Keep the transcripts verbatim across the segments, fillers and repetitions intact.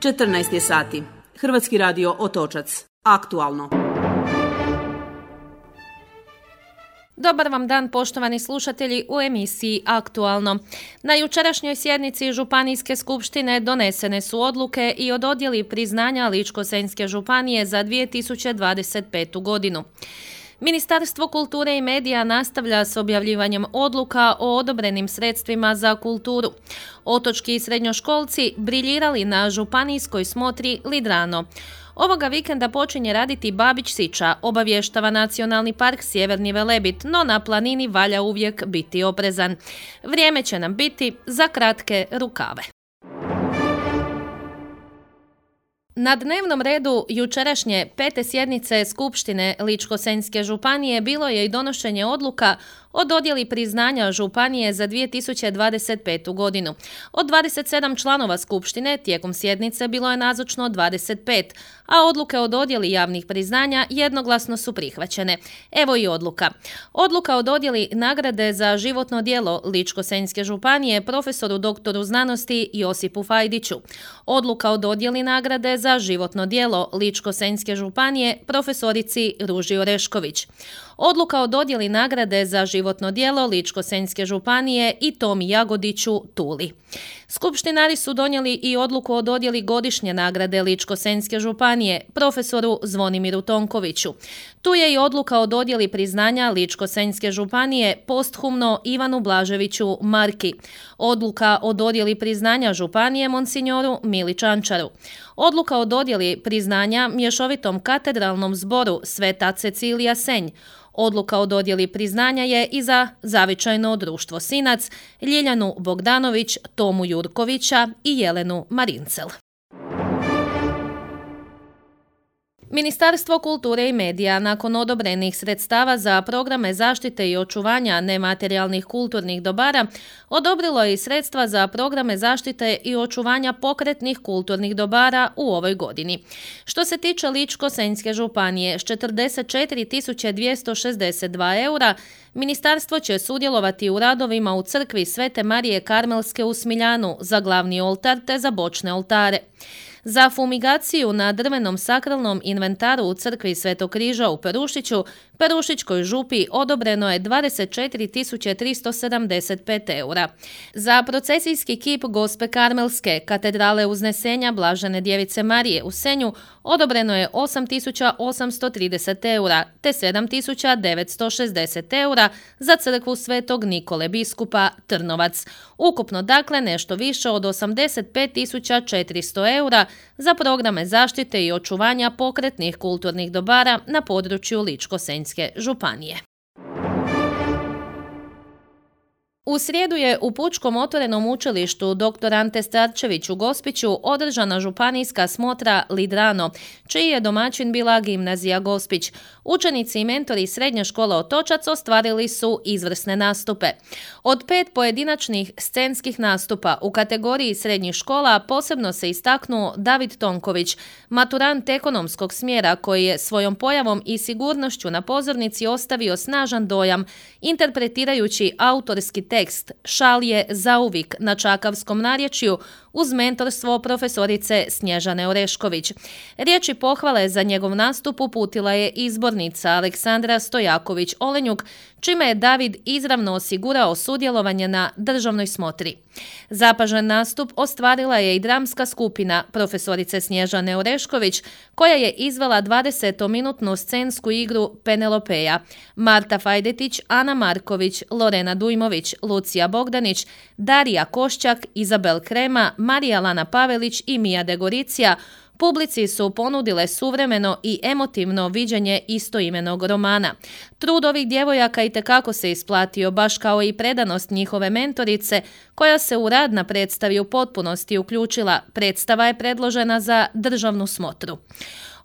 četrnaest je sati. Hrvatski radio Otočac. Aktualno. Dobar vam dan, poštovani slušatelji, u emisiji Aktualno. Na jučerašnjoj sjednici Županijske skupštine donesene su odluke i o dodjeli priznanja Ličko-senjske županije za dvije tisuće dvadeset petu. godinu. Ministarstvo kulture i medija nastavlja s objavljivanjem odluka o odobrenim sredstvima za kulturu. Otočki srednjoškolci briljirali na županijskoj smotri Lidrano. Ovoga vikenda počinje raditi Babić Siča, obavještava Nacionalni park Sjeverni Velebit, no na planini valja uvijek biti oprezan. Vrijeme će nam biti za kratke rukave. Na dnevnom redu jučerašnje pete sjednice Skupštine Ličko-senjske županije bilo je i donošenje odluka o dodjeli priznanja županije za dvije tisuće dvadeset petu. godinu. Od dvadeset sedam članova Skupštine tijekom sjednice bilo je nazočno dvadeset pet, a odluke o dodjeli javnih priznanja jednoglasno su prihvaćene. Evo i odluka. Odluka o dodjeli nagrade za životno djelo Ličko-senjske županije profesoru doktoru znanosti Josipu Fajdiću. Odluka o dodjeli nagrade za životno djelo Ličko-senjske županije profesorici Ruži Orešković. Odluka o dodjeli nagrade za životno djelo Ličko-senjske županije i Tomi Jagodiću Tuli. Skupštinari su donijeli i odluku o dodjeli godišnje nagrade Ličko-senjske županije profesoru Zvonimiru Tonkoviću. Tu je i odluka o dodjeli priznanja Ličko-senjske županije posthumno Ivanu Blaževiću Marki. Odluka o dodjeli priznanja županije monsinjoru Mili Čančaru. Odluka o dodjeli priznanja mješovitom katedralnom zboru Sveta Cecilija Senj. Odluka o dodjeli priznanja je i za Zavičajno društvo Sinac, Ljiljanu Bogdanović, Tomu Jurkovića i Jelenu Marincel. Ministarstvo kulture i medija nakon odobrenih sredstava za programe zaštite i očuvanja nematerijalnih kulturnih dobara odobrilo je i sredstva za programe zaštite i očuvanja pokretnih kulturnih dobara u ovoj godini. Što se tiče Ličko-senjske županije, s četrdeset četiri tisuće dvjesto šezdeset dva eura, ministarstvo će sudjelovati u radovima u crkvi Svete Marije Karmelske u Smiljanu za glavni oltar te za bočne oltare. Za fumigaciju na drvenom sakralnom inventaru u crkvi Svetog križa u Perušiću, Perušićkoj župi odobreno je dvadeset četiri tisuće tristo sedamdeset pet eura. Za procesijski kip Gospe Karmelske, katedrale Uznesenja Blažene Djevice Marije u Senju, odobreno je osam tisuća osamsto trideset eura, te sedam tisuća devetsto šezdeset eura za crkvu Svetog Nikole biskupa Trnovac. Ukupno dakle nešto više od osamdeset pet tisuća četiristo eura za programe zaštite i očuvanja pokretnih kulturnih dobara na području Ličko-senjske županije. U srijedu je u Pučkom otvorenom učilištu doktor Ante Starčević u Gospiću održana županijska smotra Lidrano, čiji je domaćin bila gimnazija Gospić. Učenici i mentori srednje škole Otočac ostvarili su izvrsne nastupe. Od pet pojedinačnih scenskih nastupa u kategoriji srednjih škola posebno se istaknuo David Tonković, maturant ekonomskog smjera koji je svojom pojavom i sigurnošću na pozornici ostavio snažan dojam, interpretirajući autorski tekst Šal je zauvik na čakavskom narječju uz mentorstvo profesorice Snježane Orešković. Riječi pohvale za njegov nastup uputila je izbornica Aleksandra Stojaković-Olenjuk, čime je David izravno osigurao sudjelovanje na državnoj smotri. Zapažen nastup ostvarila je i dramska skupina profesorice Snježane Orešković, koja je izvela dvadesetominutnu scensku igru Penelopeja. Marta Fajdetić, Ana Marković, Lorena Dujmović, Lucija Bogdanić, Darija Košćak, Izabel Krema, Marija Lana Pavelić i Mija Degoricija publici su ponudile suvremeno i emotivno viđenje istoimenog romana. Trud ovih djevojaka itekako se isplatio, baš kao i predanost njihove mentorice, koja se u rad na predstavi u potpunosti uključila. Predstava je predložena za državnu smotru.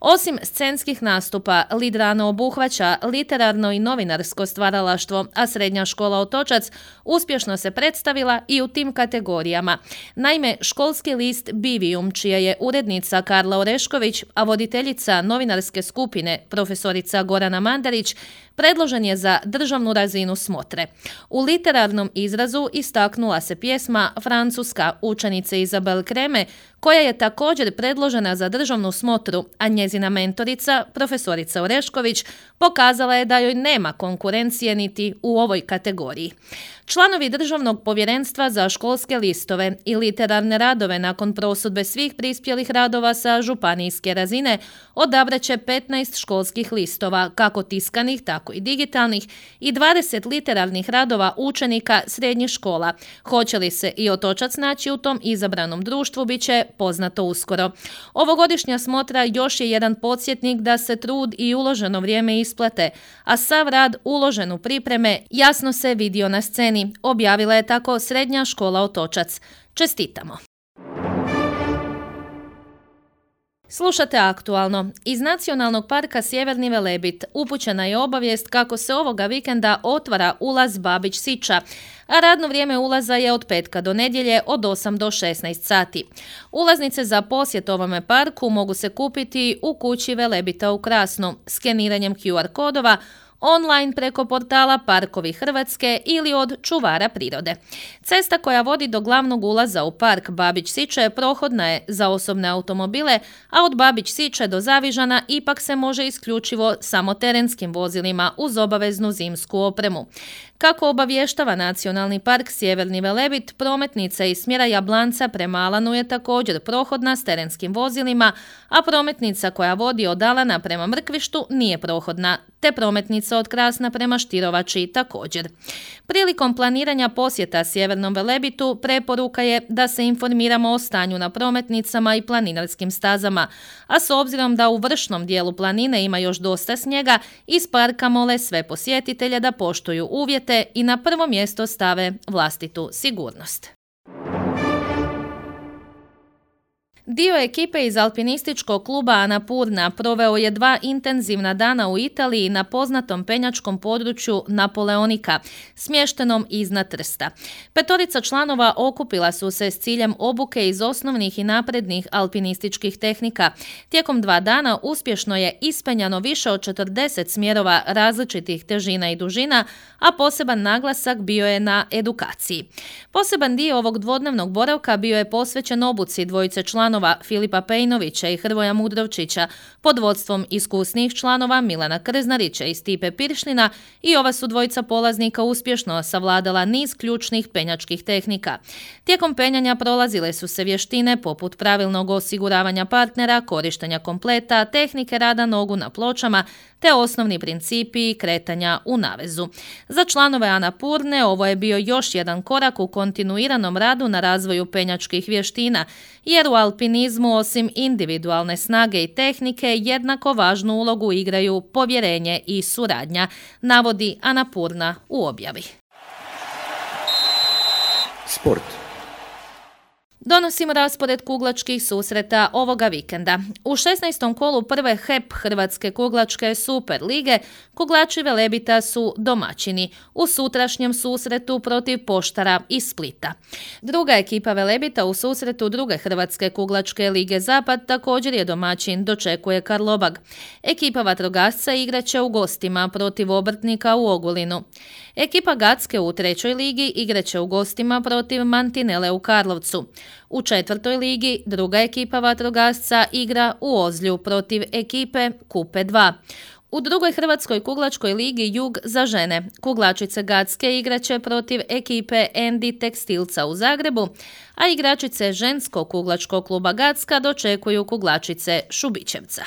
Osim scenskih nastupa, Lidrano obuhvaća literarno i novinarsko stvaralaštvo, a srednja škola Otočac uspješno se predstavila i u tim kategorijama. Naime, školski list Bivijum, čija je urednica Karla Orešković, a voditeljica novinarske skupine profesorica Gorana Mandarić, predložen je za državnu razinu smotre. U literarnom izrazu istaknula se pjesma Francuska učenice Izabel Kreme, koja je također predložena za državnu smotru, a njezina mentorica, profesorica Orešković, pokazala je da joj nema konkurencije niti u ovoj kategoriji. Članovi Državnog povjerenstva za školske listove i literarne radove nakon prosudbe svih prispjelih radova sa županijske razine odabrat će petnaest školskih listova, kako tiskanih, tako i digitalnih, i dvadeset literarnih radova učenika srednjih škola. Hoće li se i Otočac naći u tom izabranom društvu, bit će poznato uskoro. Ovogodišnja smotra još je jedan podsjetnik da se trud i uloženo vrijeme isplate, a sav rad uložen u pripreme jasno se vidio na sceni, objavila je tako Srednja škola Otočac. Čestitamo! Slušate Aktualno. Iz Nacionalnog parka Sjeverni Velebit upućena je obavijest kako se ovoga vikenda otvara ulaz Babić Siča, a radno vrijeme ulaza je od petka do nedjelje od osam do šesnaest sati. Ulaznice za posjet ovome parku mogu se kupiti u kući Velebita u Krasnu, skeniranjem Q R kodova, online preko portala Parkovi Hrvatske ili od čuvara prirode. Cesta koja vodi do glavnog ulaza u park Babić Siče prohodna je za osobne automobile, a od Babić Siče do Zavižana ipak se može isključivo samo terenskim vozilima uz obaveznu zimsku opremu. Kako obavještava Nacionalni park Sjeverni Velebit, prometnica iz smjera Jablanca prema Alanu je također prohodna s terenskim vozilima, a prometnica koja vodi od Alana prema Mrkvištu nije prohodna, te prometnica od Krasna prema Štirovači također. Prilikom planiranja posjeta Sjevernom Velebitu preporuka je da se informiramo o stanju na prometnicama i planinarskim stazama, a s obzirom da u vršnom dijelu planine ima još dosta snijega, iz parka mole sve posjetitelje da poštuju uvjete i na prvo mjesto stave vlastitu sigurnost. Dio ekipe iz alpinističkog kluba Anapurna proveo je dva intenzivna dana u Italiji na poznatom penjačkom području Napoleonika, smještenom iznad Trsta. Petorica članova okupila su se s ciljem obuke iz osnovnih i naprednih alpinističkih tehnika. Tijekom dva dana uspješno je ispenjano više od četrdeset smjerova različitih težina i dužina, a poseban naglasak bio je na edukaciji. Poseban dio ovog dvodnevnog boravka bio je posvećen obuci dvojice članova Filipa Pejnovića i Hrvoja Mudrovčića pod vodstvom iskusnih članova Milana Krznarića i Stipe Piršlina, i ova su dvojica polaznika uspješno savladala niz ključnih penjačkih tehnika. Tijekom penjanja prolazile su se vještine poput pravilnog osiguravanja partnera, korištenja kompleta, tehnike rada nogu na pločama, te osnovni principi kretanja u navezu. Za članove Anapurne ovo je bio još jedan korak u kontinuiranom radu na razvoju penjačkih vještina, jer u alpinizmu osim individualne snage i tehnike jednako važnu ulogu igraju povjerenje i suradnja, navodi Anapurna u objavi. Sport. Donosimo raspored kuglačkih susreta ovoga vikenda. U šesnaestom kolu prve H E P Hrvatske kuglačke Super lige kuglači Velebita su domaćini u sutrašnjem susretu protiv Poštara iz Splita. Druga ekipa Velebita u susretu druge Hrvatske kuglačke lige Zapad također je domaćin, dočekuje Karlobag. Ekipa vatrogasca igraće u gostima protiv Obrtnika u Ogulinu. Ekipa Gacke u trećoj ligi igraće u gostima protiv Mantinele u Karlovcu. U četvrtoj ligi druga ekipa vatrogasca igra u Ozlju protiv ekipe Kupe dva. U drugoj Hrvatskoj kuglačkoj ligi Jug za žene kuglačice Gacke igraće protiv ekipe Endi Tekstilca u Zagrebu, a igračice ženskog kuglačkog kluba Gacka dočekuju kuglačice Šubićevca.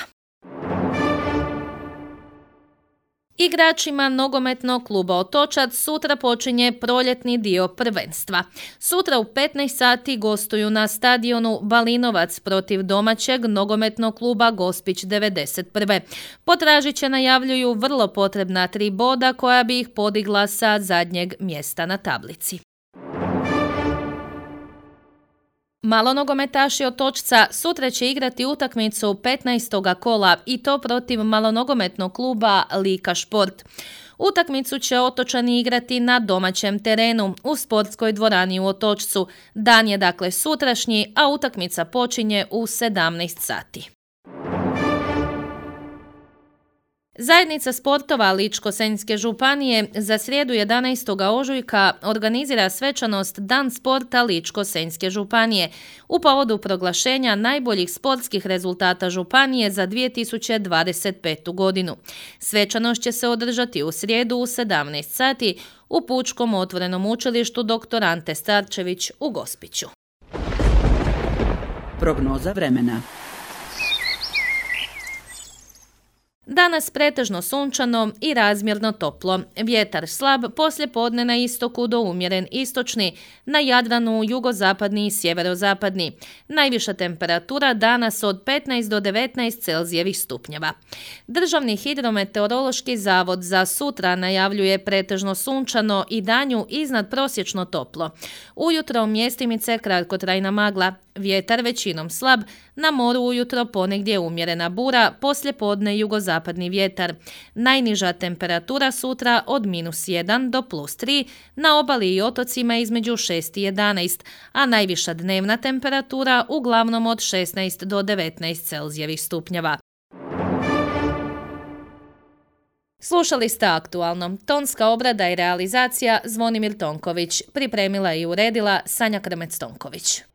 Igračima nogometnog kluba Otočac sutra počinje proljetni dio prvenstva. Sutra u petnaest sati gostuju na stadionu Balinovac protiv domaćeg nogometnog kluba Gospić devedeset prve. Potražiće najavljuju vrlo potrebna tri boda koja bi ih podigla sa zadnjeg mjesta na tablici. Malonogometaši Otočca sutra će igrati utakmicu petnaestog kola i to protiv malonogometnog kluba Lika Šport. Utakmicu će Otočani igrati na domaćem terenu u sportskoj dvorani u Otočcu. Dan je dakle sutrašnji, a utakmica počinje u sedamnaest sati. Zajednica sportova Ličko-senjske županije za srijedu jedanaestog ožujka organizira svečanost Dan sporta Ličko-senjske županije u povodu proglašenja najboljih sportskih rezultata županije za dvije tisuće dvadeset petu. godinu. Svečanost će se održati u srijedu u sedamnaest sati u Pučkom otvorenom učilištu doktor Ante Starčević u Gospiću. Prognoza vremena. Danas pretežno sunčano i razmjerno toplo. Vjetar slab, poslijepodne na istoku do umjeren istočni, na Jadranu jugozapadni i sjeverozapadni. Najviša temperatura danas od petnaest do devetnaest Celzijevih stupnjeva. Državni hidrometeorološki zavod za sutra najavljuje pretežno sunčano i danju iznad prosječno toplo. Ujutro mjestimice kratkotrajna magla, vjetar većinom slab, na moru ujutro ponegdje umjerena bura, poslijepodne jugozapadni vjetar. Najniža temperatura sutra od minus jedan do plus tri, na obali i otocima između šest i jedanaest, a najviša dnevna temperatura uglavnom od šesnaest do devetnaest Celzijevih stupnjeva. Slušali ste Aktualno. Tonska obrada i realizacija Zvonimir Tonković. Pripremila i uredila Sanja Krmec-Tonković.